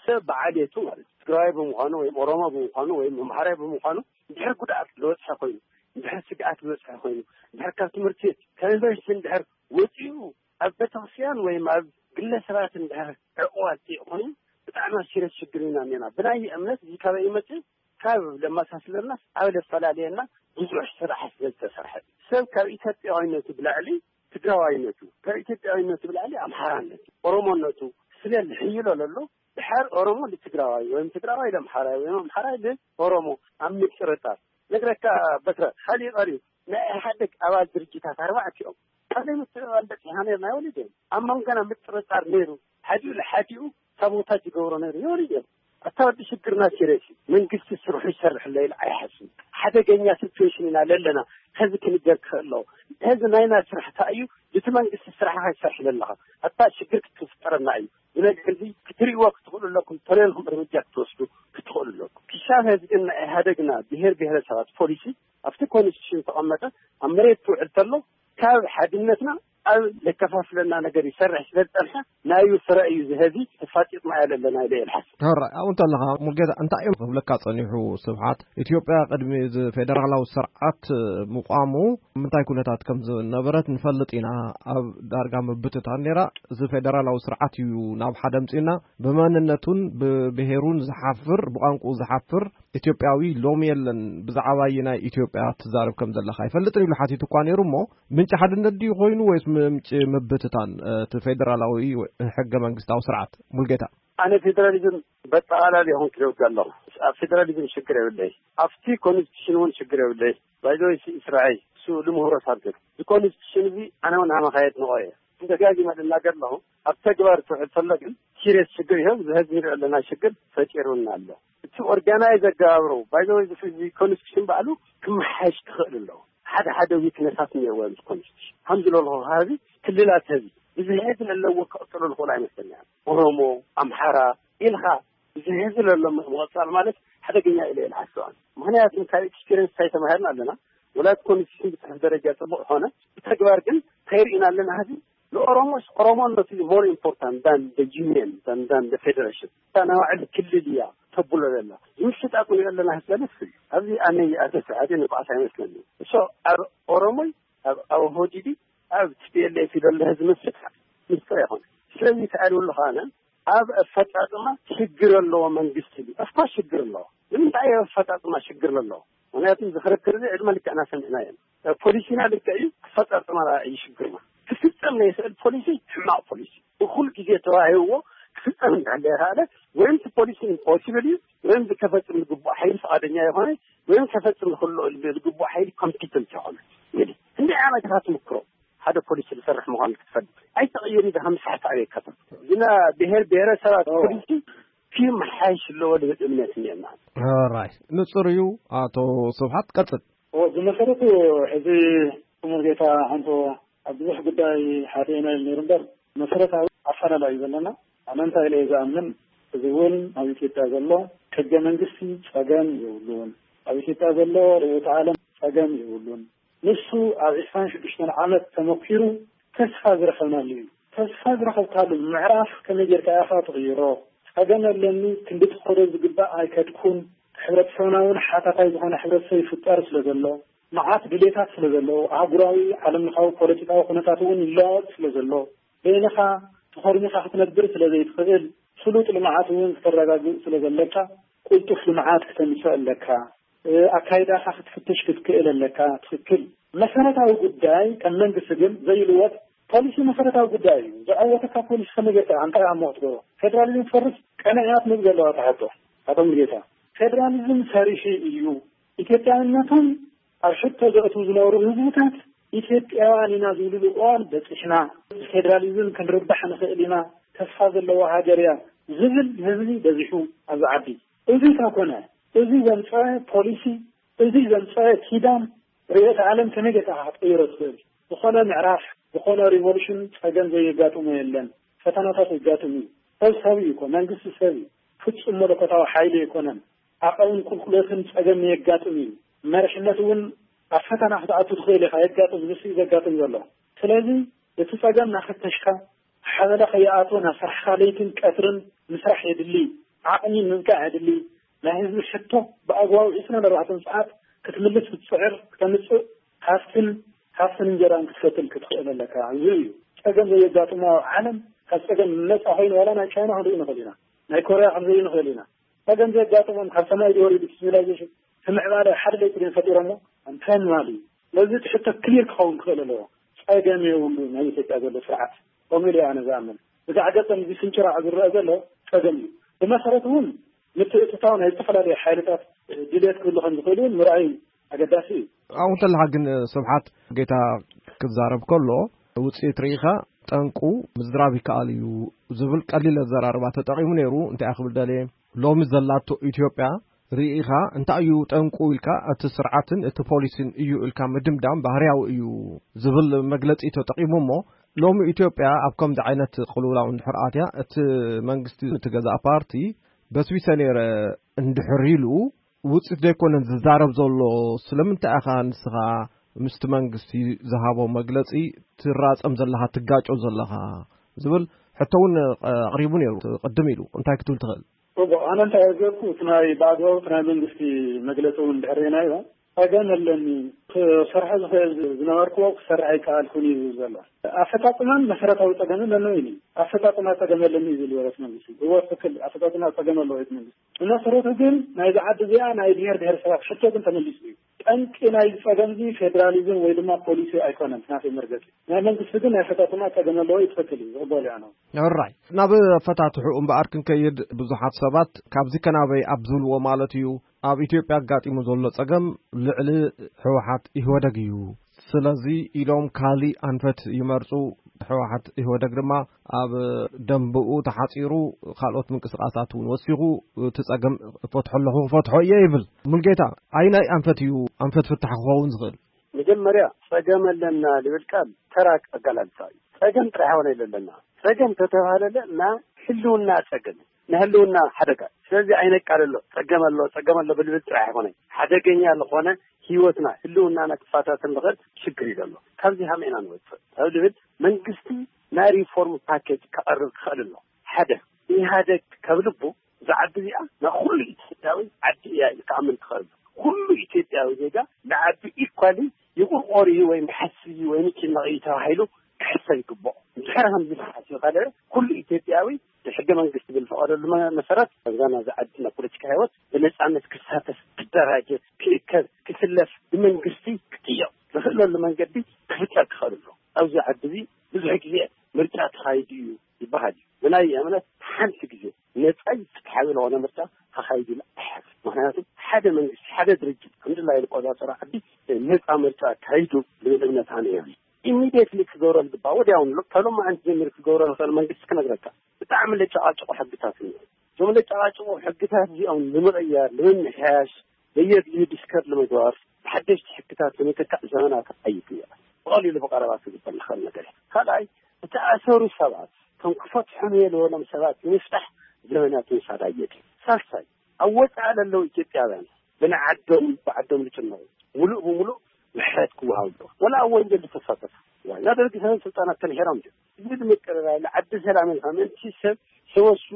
ሰብ ብዓሌቱ ማለት ትግራዋይ ብምዃኑ ወይም ኦሮሞ ብምዃኑ ወይም ኣምሓራይ ብምዃኑ እንድሕር ጉድኣት ዝበፅሐ ኮይኑ፣ እንድሕር ስግኣት ዝበፅሐ ኮይኑ፣ እንድሕር ካብ ትምህርቲ ቤት ካብ ዩኒቨርሲቲ እንድሕር ወፂኡ ኣብ ቤተክርስትያን ወይም ኣብ ግለሰባት እንድሕር ዕቁብ ኣውፂኡ ኮይኑ ብጣዕሚ ኣሲረት ሽግር ኢና እኒና። ብናይ እምነት እዚ ካበይ ይመፅእ? ካብ ለመሳስለና ኣብ ለፈላለየና ብዙሕ ስራሕ ስለ ዝተሰርሐ ሰብ ካብ ኢትዮጵያዊነቱ ብላዕሊ ትግራዋይነቱ ካብ ኢትዮጵያዊነቱ ብላዕሊ ኣምሓራነቱ ኦሮሞነቱ ስለ ዝሕይሎ ዘሎ ድሓር ኦሮሞ ንትግራዋይ ወይም ትግራዋይ ለምሓራይ ወይም ኣምሓራይ ንኦሮሞ ኣብ ምጥርጣር ነግረካ። በትረ ሓሊዩ ቀሪቡ ናይ ኢህኣደግ ኣባል ድርጅታት ኣርባዕቲኦም ካልእ ምትእምማን በፂሕና ነርና ይወልድ እዮም ኣብ መንጎና ምጥርጣር ነይሩ። ሓዲኡ ንሓዲኡ ሳቦታጅ ይገብሮ ነይሩ ይወልድ እዮም። ኣታ ወዲ ሽግርና ሲሪየስ እዩ። መንግስቲ ስርሑ ይሰርሕ ኣሎ ኢለ ኣይሓስብን። ሓደገኛ ሲቹዌሽን ኢና ለለና። ሕዚ ክንገር ክኽእል ኣለዎ። ሕዚ ናይና ስራሕ እንታይ እዩ? እቲ መንግስቲ ስራሕኻ ይሰርሕ ዘለኻ ኣታ ሽግር ክትፍጠረና እዩ። ብነገር እዚ ክትርእይዎ ክትኽእሉ ኣለኩም። ተለልኩም እርምጃ ክትወስዱ ክትኽእሉ ኣለኩም። ክሻብ ሕዚ ግን ናይ ኢህኣደግና ብሄር ብሄረሰባት ፖሊሲ ኣብቲ ኮንስቲቱሽን ዝተቐመጠ ኣብ መሬት ትውዕል ተሎ ካብ ሓድነትና ኣብ ዘከፋፍለና ነገር ይሰርሕ ስለ ዝፀንሐ ናዩ ፍረ እዩ ዝህዚ ተፋጢጥና እያ ዘለና ኢለ እየ ዝሓስብ። ሕራይ ኣብኡ እንተለኻ ሙልጌታ እንታይ እዮም ክብለካ ጸኒሑ ስብሓት? ኢትዮጵያ ቅድሚ እዚ ፌደራላዊ ስርዓት ምቋሙ ምንታይ ኩነታት ከም ዝነበረት ንፈልጥ ኢና። ኣብ ዳርጋ ምብትታን ነይራ። እዚ ፌደራላዊ ስርዓት እዩ ናብ ሓደ ኣምጺኡና። ብመንነቱን ብብሄሩን ዝሓፍር ብቋንቁኡ ዝሓፍር ኢትዮጵያዊ ሎሚ የለን። ብዛዕባ ኣየናይ ኢትዮጵያ ትዛረብ ከም ዘለኻ ኣይፈልጥን ኢሉ ሓቲቱ እኳ ነይሩ እሞ ምንጪ ሓድነት ድዩ ኮይኑ ወይስ ምንጪ ምብትታን እቲ ፌደራላዊ ሕገ መንግስታዊ ስርዓት? ሙልጌታ። ኣነ ፌደራሊዝም በጠቓላሊ ይኹን ክደውድ ኣለኹ። ኣብ ፌደራሊዝም ሽግር የብለይ። ኣብቲ ኮንስቲቱሽን እውን ሽግር የብለይ። ባይዘወይ ስራይ ስኡ ልምህሮ ሳብትን እዚ ኮንስቲቱሽን እዚ ኣነ እውን ሃመኻየት ንቆ እየ። ደጋጊመ ልናገር ኣለኹ። ኣብ ተግባር ትውዕል ተሎ ግን ሲሪየስ ሽግር ይኸው ዝህዝ ንሪኦ ኣለና ሽግር ፈጢሩና ኣሎ። እቲ ኦርጋናይዝ ኣገባብሮ ባይዘወይ እዚ ኮንስቲቱሽን ባዕሉ ክመሓየሽ ክኽእል ኣለዎ። ሓደ ሓደ ዊክነሳት ነይርዎ ምስ ኮንስቲቱሽን ከም ዝበልኹ ህዚ ክልላት ህዚ ብዝሕት ለለዎ ክቕጥሉ ዝኽእሉ ኣይመስለኛል። ኦሮሞ ኣምሓራ ኢልካ ብዝሕት ለሎ ምቕፃል ማለት ሓደገኛ ኢለ እየ ዝሓስባን። ምክንያቱ ካብ ኤክስፒሪንስ እንታይ ተማሂርና ኣለና? ወላ ኮንስቲቱሽን ብፅሑፍ ደረጃ ፅቡቅ ኾነ ብተግባር ግን እንታይ ርኢና ኣለና? ህዚ ንኦሮሞስ ኦሮሞነቱ ሞር ኢምፖርታንት ዳን ዩኒየን ዳን ዳን ፌደሬሽን እታ ናይ ባዕሉ ክልል እያ ተብሎ ዘላ ዝምሽጣ ኩን ኣለና ስለልስ ኣብዚ ኣነ ኣተስዓደ ንብዓት ኣይመስለኒ። እሶ ኣብ ኦሮሞይ ኣብ ኣብ ሆዲዲ ኣብ ቲፒኤልኤፍ ይደሎ ህዝቢ ምስጣ ምስጥር ይኾነ ስለዚ ተኣልውሉ ኸነ ኣብ ኣፈፃፅማ ሽግር ኣለዎ መንግስቲ እዩ። ኣፍኮርስ ሽግር ኣለዎ። ንምንታይ ኣብ ኣፈፃፅማ ሽግር ኣለዎ? ምክንያቱ እዚ ክርክር እዚ ዕድመ ልክዕና ሰሚዕና እዮም። ፖሊሲና ልክዕ እዩ፣ ኣፈፃፅማ እዩ ሽግርና። ክፍፀም ናይ ስእል ፖሊሲ ሕማቕ ፖሊሲ እኩል ግዜ ተዋሂብዎ ክፍፀም እንዳለ ይካለ ወይም እቲ ፖሊሲ ኢምፖሲብል እዩ ወይም ከፈፅም ዝግቡእ ሓይሊ ፍቓደኛ ይኾነ ወይም ከፈፅም ዝኽእሎ ዝግቡእ ሓይሊ ኮምፒተንት ይኾነ። እንግዲህ እንዲህ ዓይነት ትምክሮ ሓደ ፖሊሲ ዝሰርሕ ምዃኑ ክትፈልጥ ኣይተቐየሪ ዶ ከም ሳሕቲ ኣበይ ከተም ግና ብሄር ብሄረሰባት ፖሊሲ ክመሓየሽ ኣለዎ ዝብል እምነት እኒአና። ራይ ንጹር እዩ። ኣቶ ስብሓት ቀጽል። ብመሰረቱ እዚ ክቡር ጌታ ሓንቶ ኣብ ብዙሕ ጉዳይ ሓደ ኢና ኢሉ ነይሩ እምበር መሰረታዊ ኣፈላላይ እዩ ዘለና። ኣነ እንታይ ኢለ እየ ዝኣምን፣ እዚ እውን ኣብ ኢትዮጵያ ዘሎ ሕገ መንግስቲ ጸገም የብሉን። ኣብ ኢትዮጵያ ዘሎ ርእዮተ ዓለም ጸገም የብሉን። ንሱ ኣብ ዕስራን ሽዱሽተን ዓመት ተመኪሩ ተስፋ ዝረኸብናሉ እዩ። ተስፋ ዝረኸብካሉ ምዕራፍ ከመይ ጌርካ ኢኻ ትቕይሮ? ጸገም ኣለኒ ክንዲ ትኸዶ ዝግባእ ኣይከድኩን። ሕብረተሰብና እውን ሓታታይ ዝኾነ ሕብረተሰብ ይፍጠር ስለ ዘሎ፣ መዓት ድሌታት ስለ ዘለዎ፣ ኣህጉራዊ ዓለምለኻዊ ፖለቲካዊ ኩነታት እውን ይለዋወጥ ስለ ዘሎ፣ በይንኻ ተኾርሚኻ ክትነብር ስለ ዘይትኽእል፣ ስሉጥ ልምዓት እውን ክተረጋግእ ስለ ዘለካ፣ ቅልጡፍ ልምዓት ክተምፅእ ኣለካ። ኣካይዳኻ ክትፍትሽ ክትክእል ኣለካ። ትኽክል። መሰረታዊ ጉዳይ ከም መንግስቲ ግን ዘይልወጥ ፖሊሲ መሰረታዊ ጉዳይ እዩ። ዘዐወተካ ፖሊሲ ከመይ ጌርካ እንታይ ኣሞ ክትገብሮ? ፌደራሊዝም ትፈርስ ቀንዕያ ትምብ ዘለዋ ተሓቶ። ኣቶ ሙሉጌታ፣ ፌደራሊዝም ፈሪሱ እዩ። ኢትዮጵያዊነቶም ኣብ ሕቶ ዘእትዉ ዝነበሩ ህዝብታት ኢትዮጵያውያን ኢና ዝብልሉ እዋን በፂሕና፣ ብፌዴራሊዝም ክንርባሕ ንኽእል ኢና፣ ተስፋ ዘለዋ ሃገር እያ ዝብል ህዝቢ በዚሑ ኣብዚ ዓዲ። እዚ እንተኾነ፣ እዚ ዘምፀአ ፖሊሲ፣ እዚ ዘምፀአ ኪዳን ርዕዮተ ዓለም ከመይ ጌርካ ክትቅይሮ ትኽእል? ዝኾነ ምዕራፍ፣ ዝኾነ ሪቮሉሽን ፀገም ዘየጋጥሞ የለን። ፈተናታት የጋጥም እዩ። ሰብ ሰብ እዩ እኮ፣ መንግስቲ ሰብ እዩ። ፍጹም መለኮታዊ ሓይሊ ኣይኮነን። ዓቐብን ቁልቁለትን ጸገም የጋጥም እዩ። መሪሕነት እውን ኣብ ፈተና ክትኣቱ ትኽእል ኢኻ፣ የጋጥም፣ ንሱ እዩ ዘጋጥም ዘሎ። ስለዚ እቲ ጸገም እናፈተሽካ፣ ሓበላ ከይኣትዎ ናብ ስራሕካ ለይትን ቀትርን ምስራሕ የድሊ፣ ዓቕሚ ምብቃዕ የድሊ። ናይ ህዝቢ ሕቶ ብኣግባቡ ዒስራን ኣርባዕተን ሰዓት ክትምልስ ክትጽዕር፣ ክተምጽእ፣ ሃፍትን ሃፍትን እንጀራን ክትፈትን ክትኽእል ኣለካ። እዚ እዩ ጸገም ዘየጋጥሞ ኣብ ዓለም። ካብ ጸገም ነጻ ኮይኑ ዋላ ናይ ቻይና ክንርኢ ንኽእል ኢና፣ ናይ ኮርያ ክንርኢ ንኽእል ኢና። ጸገም ዘየጋጥሞም ካብ ሰማይ ዝወሪዱ ሲቪላይዜሽን እቲ ምዕባለ ሓደ ለይቲ ድዮም ፈጢሮሞ? ኣንተን ማለት እዩ። ስለዚ እቲ ሕቶ ክሊር ክኸውን ክኽእል ኣለዎ። ጸገም የብሉ ናይ ኢትዮጵያ ዘሎ ስርዓት። ከምኡ ኢለ ኣነ ዝኣምን። ብጋዕ ገጸም እዚ ስንጭራዕ ዝረአ ዘሎ ጸገም እዩ። ብመሰረቱ እውን ምትእትታው ናይ ዝተፈላለዩ ሓይልታት ድልየት ክህሉ ከም ዝኽእል እውን ምርኣይ ኣገዳሲ እዩ። ኣብኡ እንተለኻ ግን ስብሓት ጌታ ክዛረብ ከሎ ውፅኢት ርኢኻ ጠንቁ ምዝራብ ይከኣል እዩ ዝብል ቀሊል ኣዘራርባ ተጠቒሙ ነይሩ። እንታይ ክብል ደልየ ሎሚ ዘላቶ ኢትዮጵያ ርኢኻ እንታይ እዩ ጠንቁ ኢልካ እቲ ስርዓትን እቲ ፖሊሲን እዩ ኢልካ ምድምዳም ባህርያዊ እዩ ዝብል መግለፂ ተጠቒሙ እሞ ሎሚ ኢትዮጵያ ኣብ ከምዚ ዓይነት ቅልውላው እንድሕር ኣትያ እቲ መንግስቲ እቲ ገዛእ ፓርቲ በስቢሰ ነይረ እንድሕር ኢሉ ውፅኢት ዘይኮነን ዝዛረብ ዘሎ ስለምንታይ ኢኻ ንስኻ ምስቲ መንግስቲ ዝሃቦ መግለፂ ትራፀም ዘለኻ ትጋጮ ዘለኻ ዝብል ሕቶ እውን ኣቕሪቡ ነይሩ ቅድም ኢሉ እንታይ ክትብል ትኽእል? ጽቡቕ፣ ኣነ እንታይ ኣዘብኩ እቲ ናይ ብኣግባቡ እቲ ናይ መንግስቲ መግለፂ እውን ድሕር ናዮ ጸገም ኣለኒ ክሰርሖ ዝኽእል ዝነበርክዎ ክሰርሕ ኣይከኣልኩን እዩ ዝብል ዘሎ። ኣፈፃፅማን መሰረታዊ ጸገምን ኣለዎ ኢሉ ኣፈፃፅማ ጸገም ኣለኒ እዩ ዝብል ወረት መንግስቲ እዎ ትክክል ኣፈፃፅማ ጸገም ኣለዎ እቲ መንግስቲ ብመሰረቱ ግን ናይዚ ዓዲ እዚኣ ናይ ብሔር ብሔረሰባት ሕቶ ግን ተመሊሱ እዩ። ጠንቂ ናይ ጸገምዚ ፌዴራሊዝም ወይ ድማ ፖሊሲ ኣይኮነን ናተይ መርገጺ። ናይ መንግስቲ ግን ናይ ኣፈፃፅማ ጸገም ኣለዎ እዩ ትክክል እዩ ዝቕበሉ እያ ነው። ራይ ናብ ኣፈታትሑ እምበኣር ክንከይድ ብዙሓት ሰባት ካብዚ ከናበይ ኣብ ዝብልዎ ማለት እዩ ኣብ ኢትዮጵያ ኣጋጢሙ ዘሎ ጸገም ልዕሊ ህወሓት ኢህወደግ እዩ። ስለዚ ኢሎም ካሊእ ኣንፈት ይመርፁ። ህወሓት ኢህወደግ ድማ ኣብ ደንብኡ ተሓፂሩ ካልኦት ምንቅስቃሳት እውን ወሲኹ እቲ ጸገም እፈትሖ ኣለኹ ክፈትሖ እየ ይብል። ሙልጌታ ኣይናይ ኣንፈት እዩ ኣንፈት ፍታሕ ክኸውን ዝኽእል? መጀመርያ ጸገም ኣለና ዝብል ቃል ተራ ኣገላልጻ እዩ። ጸገም ጥራሕ ሆነ ኣለና ጸገም ተተባሃለለ ና ህልውና ጸገም ንህልውና ሓደጋ። ስለዚ ኣይነቃለሎ ጸገም ኣሎ ጸገም ኣሎ ብልብል ጥራሕ ኣይኮነ ሓደገኛ ዝኾነ ህይወትና ህልውናና ክፈታተን ዝኽእል ሽግር እዩ ዘሎ። ካብዚ ሃመ ኢና ንወፅእ ካብ ዝብል መንግስቲ ናይ ሪፎርም ፓኬጅ ከቐርብ ክኽእል ኣሎ። ሓደ ኢህኣደግ ካብ ልቡ እዛ ዓዲ እዚኣ ናይ ኩሉ ኢትዮጵያዊ ዓዲ እያ ኢሉ ክኣምን ክኽእል ኩሉ ኢትዮጵያዊ ዜጋ ንዓዲ ኢኳሊ ይቁርቆር እዩ ወይም ይሓስብ እዩ ወይም ይጭነቕ እዩ ተባሂሉ ክሕሰብ ይግብኦ። እንድሕር ከምዚ ተሓሲብካ ደረ ኩሉ ኢትዮጵያዊ ብሕገ መንግስቲ ብዝፈቐደሉ መ- መሰረት ኣብዛ ናዚ ዓዲ ናይ ፖለቲካ ህይወት ብነፃነት ክሳተፍ ክደራጀ ክእከብ ክስለፍ ብመንግስቲ ክጥየቕ ዝኽእለሉ መንገዲ ክፍጠር ክኽእል ኣሎ። ኣብዚ ዓዲ እዚ ብዙሕ ግዜ ምርጫ ተኻይዱ እዩ ይበሃል እዩ። ብናይ እምነት ሓንቲ ግዜ ነፃይ ፍትሓዊ ዝኾነ ምርጫ ተኻይዱ ኣይሓፍር። ምክንያቱ ሓደ መንግስቲ ሓደ ድርጅት ከምድላይ ዝቆፃፀሮ ዓዲ ነፃ ምርጫ ኣካይዱ ዝብል እምነት ኣነ የብለይ። ኢሚዲየትሊ ክገብሮ ዝግባእ ወዲያውን ሎ- ካብ ሎማዓንቲ ጀሚሩ ክገብሮ ዝኽእል መንግስቲ ክነግረካ ብጣዕሚ ለጨቃጭቆ ሕግታት እኒኦ። እዞም ለጨቃጭቆ ሕግታት እዚኦም ንምቕያር ንምምሕያሽ በየድልዩ ዲስከር ንምግባር ብሓደሽቲ ሕግታት ንምትካእ ዘመናት ኣይት እያ። ብቐሊሉ ብቐረባ ክግበር ዝኽእል ነገር እዩ። ካልኣይ እተኣሰሩ ሰባት ከም ክፈትሖም የልበሎም ሰባት ንምፍታሕ ዘመናት ምውሳድ ኣየድልዩ። ሳልሳይ ኣብ ወፃኢ ለለዉ ኢትዮጵያውያን ብንዓዶም ብዓዶም ዝጭነቑ ሙሉእ ብሙሉእ ምሕረት ክወሃብ ኣለዎ። ወላ ኣብ ወንጀል ዝተሳተፉ ዋና ደርጊ ሰበን ስልጣናት ተምሒሮም ድዮም? እዚ ንምቅርራይ ንዓዲ ሰላም ኢልካ ምእንቲ ሰብ ሰበሱ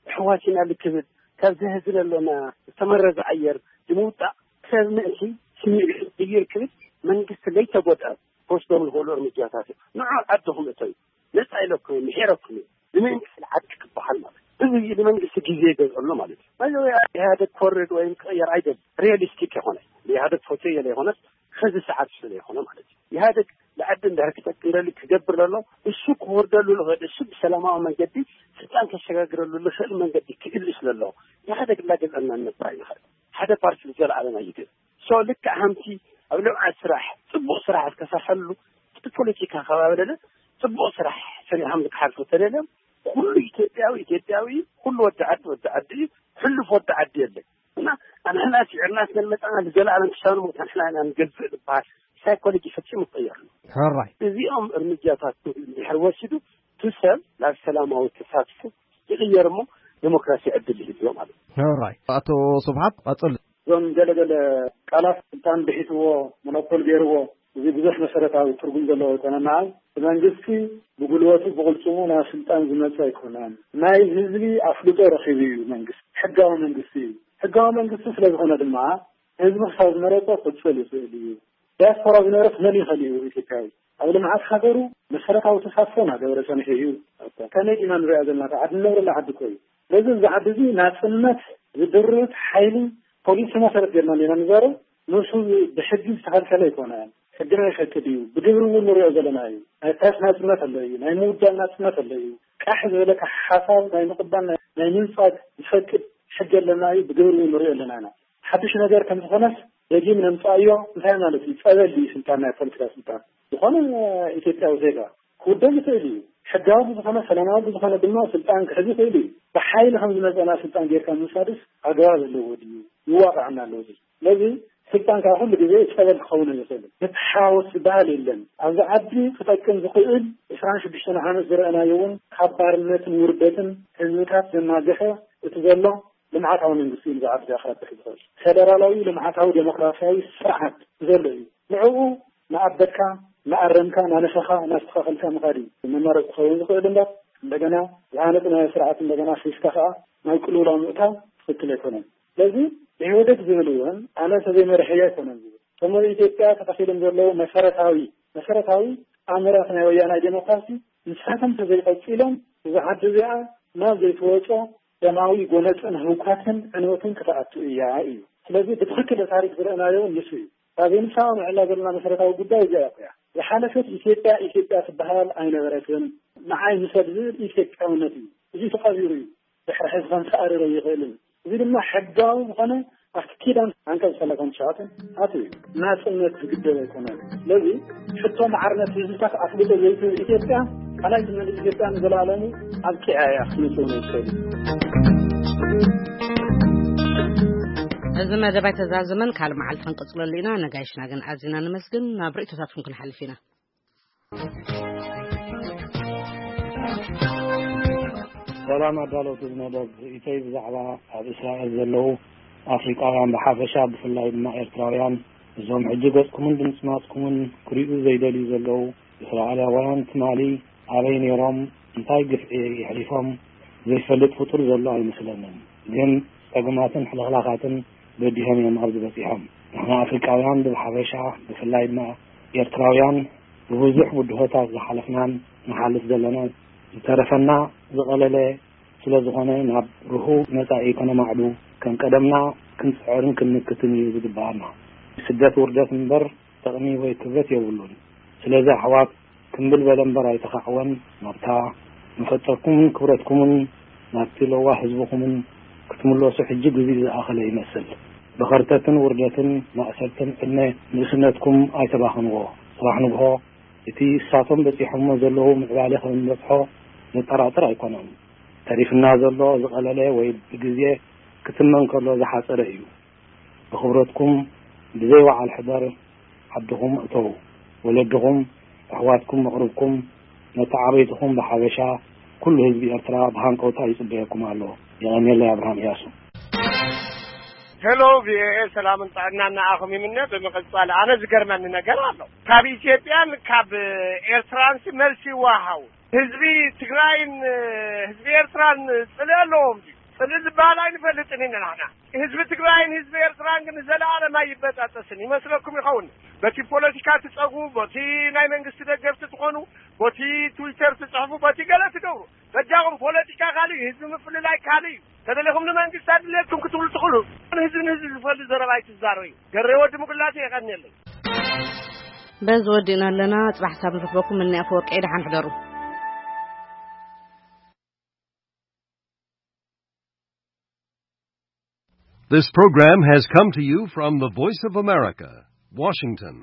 ኣሕዋት ኢና ልክብል ካብ ዘህዝን ኣሎና ዝተመረዘ ኣየር ንምውጣእ ሰብ ምእንቲ ስምዒት ዝይር ክብል መንግስቲ ለይተጎድኣ ክወስዶም ዝኽእሉ እርምጃታት እዮም። ንዑ ዓድኹም እተዩ ነፃ ኢለኩም ምሒረኩም እዩ። ንመንግስቲ ዓዲ ክበሃል ማለት እዚ ንመንግስቲ ግዜ ይገዝኦ ኣሎ ማለት እዩ። ባይዘወይ ኢህኣደግ ክወርድ ወይም ክቕየር ኣይደል ሪያሊስቲክ የኾነ ኢህኣደግ ፈትዮ የለ ይኾነስ ኸዚ ሰዓት ስለ ይኾነ ማለት እዩ። ኢህኣደግ ንዓዲ እንድሕር ክጠቅም ደሊ ክገብር ዘሎ እሱ ክወርደሉ ዝኽእል እሱ ብሰላማዊ መንገዲ ስልጣን ከሸጋግረሉ ዝኽእል መንገዲ ክእል ስለ ኣለዎ ኢህኣደግ እናገዘእና ንነብር ኣይንኽእል። ሓደ ፓርቲ ንዘለኣለም ኣይግን ሶ ልክዕ ሃምቲ ኣብ ልምዓት ስራሕ፣ ጽቡቕ ስራሕ ክትሰርሐሉ፣ እቲ ፖለቲካ ከባቢ ደለ ጽቡቕ ስራሕ ሰሪሖም ክሓልፉ ተደልዮም፣ ኩሉ ኢትዮጵያዊ ኢትዮጵያዊ እዩ፣ ኩሉ ወዲ ዓዲ ወዲ ዓዲ እዩ፣ ሕሉፍ ወዲ ዓዲ የለን። እና ኣንሕና ስዒርና ስለ መጻና ንዘለኣለም ክሳብ ንሞት ኣንሕና ኢና ንገዝእ ዝበሃል ሳይኮሎጂ ፈጺሙ ይቀየር ኣሎ። ሕራይ። እዚኦም እርምጃታት እንድሕር ወሲዱ፣ እቲ ሰብ ናብ ሰላማዊ ተሳትፎ ይቕየር እሞ ዴሞክራሲ ዕድል ይህልዎ ማለት እዩ። ሕራይ። ኣቶ ስብሓት፣ ቀጽል። እዞም ገለገለ ቃላት ስልጣን ብሒትዎ፣ ሞኖፖል ገይርዎ፣ እዚ ብዙሕ መሰረታዊ ትርጉም ዘለዎ ኣይኮነን። ንዓይ እቲ መንግስቲ ብጉልበቱ ብቕልጽሙ ናብ ስልጣን ዝመጸ ኣይኮነን። ናይ ህዝቢ ኣፍልጦ ረኺቡ እዩ መንግስቲ። ሕጋዊ መንግስቲ እዩ። ሕጋዊ መንግስቲ ስለ ዝኾነ ድማ ህዝቢ ክሳብ ዝመረጸ ክቕጽል ይኽእል እዩ። ዲያስፖራ ዝነበረ ክመን ይኽእል እዩ ኢትዮጵያዊ? ኣብ ልምዓት ሃገሩ መሰረታዊ ተሳትፎ እናገበረ ጸኒሑ እዩ። ከመይ ኢና ንሪኣ ዘለና? እታ ዓዲ ንነብረላ ዓዲ እኮ እዩ። ስለዚ እዚ ዓዲ እዚ ናጽነት ዝድርት ሓይሊ ፖሊሲ መሰረት ጌርና ኢና ንዛረብ። ንሱ ብሕጊ ዝተኸልከለ ኣይኮነን። ሕግና ይፈቅድ እዩ። ብግብሪ እውን ንሪኦ ዘለና እዩ። ናይ ፕረስ ናጽነት ኣሎ እዩ። ናይ ምውዳብ ናጽነት ኣሎ እዩ። ቃሕ ዝበለካ ሓሳብ ናይ ምቕባል፣ ናይ፣ ናይ ምንጻግ ዝፈቅድ ሕጊ ኣለና እዩ። ብግብሪ እውን ንሪኦ ኣለና ኢና። ሓድሽ ነገር ከም ዝኾነስ ደጊም ነምጻእዮ። እንታይ ማለት እዩ? ጸበል እዩ ስልጣን፣ ናይ ፖለቲካ ስልጣን። ዝኾነ ኢትዮጵያዊ ዜጋ ክውደብ ይኽእል እዩ። ሕጋዊ ብዝኾነ፣ ሰላማዊ ብዝኾነ ድማ ስልጣን ክሕዝ ይኽእል እዩ። ብሓይሊ ከም ዝመጸና ስልጣን ጌርካ ምውሳድስ ኣግባብ ኣለዎ ድዩ? ይዋቕዐና ኣለዎ ድዩ? ስለዚ ስልጣን ካብ ኩሉ ግዜ ጸበል ክኸውን ኣይኽእልን። ምትሓወስ ዝበሃል የለን። ኣብዚ ዓዲ ክጠቅም ዝኽእል ዕስራን ሽዱሽተን ዓመት ዝረኣናዮ እውን ካብ ባርነትን ውርደትን ህዝብታት ዘናግሐ እቲ ዘሎ ልምዓታዊ መንግስቲ እዩ ንዛ ዓዲ ክረብሕ ዝኽእል። ፌደራላዊ ልምዓታዊ ዴሞክራሲያዊ ስርዓት ዘሎ እዩ። ንዕኡ እናኣበድካ፣ እናኣረምካ፣ እናነፈኻ፣ እናስተኻኸልካ ምኻድ እዩ። መማረፂ ክኸውን ዝኽእል እምበር፣ እንደገና ዝሃነፅናዮ ስርዓት እንደገና ሒዝካ ከዓ ናብ ቅልውላው ምእታው ትኽክል ኣይኮነን። ስለዚ ኢህወደግ ዝብል እውን ኣነ እንተዘይመሪሐዮ ኣይኮነን ዝብል። እቶም ኣብ ኢትዮጵያ ተተኺሎም ዘለዉ መሰረታዊ፣ መሰረታዊ ኣምራት ናይ ወያናይ ዴሞክራሲ ንሳቶም እንተዘይቀፂሎም፣ እዛ ዓዲ እዚኣ ናብ ዘይትወጾ ደማዊ ጎነፅን ህውከትን ዕንወትን ክትኣቱ እያ እዩ። ስለዚ ብትኽክል ታሪክ ዝረእናዮ እውን ንሱ እዩ። ካብ ንሳ ንዕላ ዘለና መሰረታዊ ጉዳይ እዚኣ እያ። ዝሓለፈት ኢትዮጵያ ኢትዮጵያ ትበሃል ኣይነበረትን። ንዓይ ምሰል ዝብል ኢትዮጵያውነት እዩ። እዚ ተቐቢሩ እዩ። ድሕሪ ሕዚ ከምተኣርር ኣይኽእልን። እዚ ድማ ሕጋዊ ዝኾነ ኣብቲ ኪዳን ዓንቀጽ ሰላሳን ትሽዓተን ኣትዩ እዩ። ናጽነት ዝግደብ ኣይኮነን። ስለዚ ሕቶ ማዕርነት ህዝብታት ኣፍልጦ ዘይትህብ ኢትዮጵያ፣ ካልኣይ ትመልስ ኢትዮጵያ ንዘለኣለሙ ኣብቂዓ እያ ክትመጽእ እውን ኣይትኽእልን። እዚ መደብ ኣይተዛዘመን፣ ካልእ መዓልቲ ክንቅጽለሉ ኢና። ነጋይሽና ግን ኣዚና ነመስግን። ናብ ርእይቶታትኩም ክንሓልፍ ኢና። ሰላም ኣዳለውቲ እዚ መደብ፣ ርእይቶይ ብዛዕባ ኣብ እስራኤል ዘለዉ ኣፍሪቃውያን ብሓፈሻ፣ ብፍላይ ድማ ኤርትራውያን፣ እዞም ሕጂ ገጽኩምን ድምጽ ናጽኩምን ክሪኡ ዘይደልዩ ዘለዉ እስራኤላውያን ትማሊ ኣበይ ነይሮም፣ እንታይ ግፍዒ የሕሊፎም ዘይፈልጥ ፍጡር ዘሎ ኣይመስለንን። ግን ጸገማትን ሕልኽላኻትን በዲሆም እዮም ኣብዚ በጺሖም። ንሕና ኣፍሪቃውያን ብሓፈሻ፣ ብፍላይ ድማ ኤርትራውያን ብብዙሕ ብድሆታት ዝሓለፍናን ንሓልፍ ዘለና፣ ዝተረፈና ዝቐለለ ስለ ዝኾነ ናብ ርሁው መጻኢ ከነማዕዱ ከም ቀደምና ክንጽዕርን ክንምክትን እዩ ዝግብኣና። ስደት ውርደት እምበር ጥቕሚ ወይ ክብረት የብሉን። ስለዚ ኣሕዋት ክምብል በለ እምበር ኣይተኻዕወን። ናብታ መፈጠርኩምን ክብረትኩምን ናብቲ ለዋህ ህዝብኹምን ክትምለሱ ሕጂ ግዜኡ ዝኣኸለ ይመስል። ብኸርተትን ውርደትን ማእሰርትን ዕድመ ንእስነትኩም ኣይተባኽንዎ። ጽባሕ ንግሆ እቲ እሳቶም በጺሖሞ ዘለዉ ምዕባለ ከም እንበጽሖ ዘጠራጥር ኣይኮነን። ተሪፍና ዘሎ ዝቐለለ ወይ ብግዜ ክትመን ከሎ ዝሓጸረ እዩ። ብኽብረትኩም ብዘይ ወዓል ሕደር ዓድኹም እተዉ። ወለድኹም፣ ኣሕዋትኩም፣ መቕርብኩም፣ መተዓብይትኹም ብሓበሻ፣ ኩሉ ህዝቢ ኤርትራ ብሃንቀውታ ይጽበየኩም ኣሎ። የቐንየለይ፣ ኣብርሃም እያሱ። ሄሎ፣ ቪኦኤ፣ ሰላምን ጥዕናን ንኣኹም ይምነ። ብምቕጻል ኣነ ዝገርመኒ ነገር ኣሎ። ካብ ኢትዮጵያን ካብ ኤርትራንሲ መልሲ ይወሃው። ህዝቢ ትግራይን ህዝቢ ኤርትራን ጽልኢ ኣለዎም ድዩ? ጽልኢ ዝበሃል ኣይንፈልጥን ኢና ንሕና። ህዝቢ ትግራይን ህዝቢ ኤርትራን ግን ንዘለኣለም ኣይበጣጠስን። ይመስለኩም ይኸውን? በቲ ፖለቲካ ትጸጉ፣ በቲ ናይ መንግስቲ ደገፍቲ ትኾኑ፣ በቲ ትዊተር ትጽሕፉ፣ በቲ ገለ ትገብሩ። በጃኹም ፖለቲካ ካልእ እዩ፣ ህዝቢ ምፍልላይ ካልእ እዩ። ተደሊኹም ንመንግስቲ ኣድልየኩም ክትብሉ ትኽእሉ። ህዝቢ ንህዝቢ ዝፈሊ ዘረባ ኣይትዛረቡ። ገሬ ወዲ ምጉላቴ የቐንየለይ። በዚ ወዲእና ኣለና። ጽባሕ ሳብ ንረኽበኩም። እኒ ኣፈወርቂ ደሓን ሕደሩ። This program has come to you from the Voice of America, ዋሽንግተን።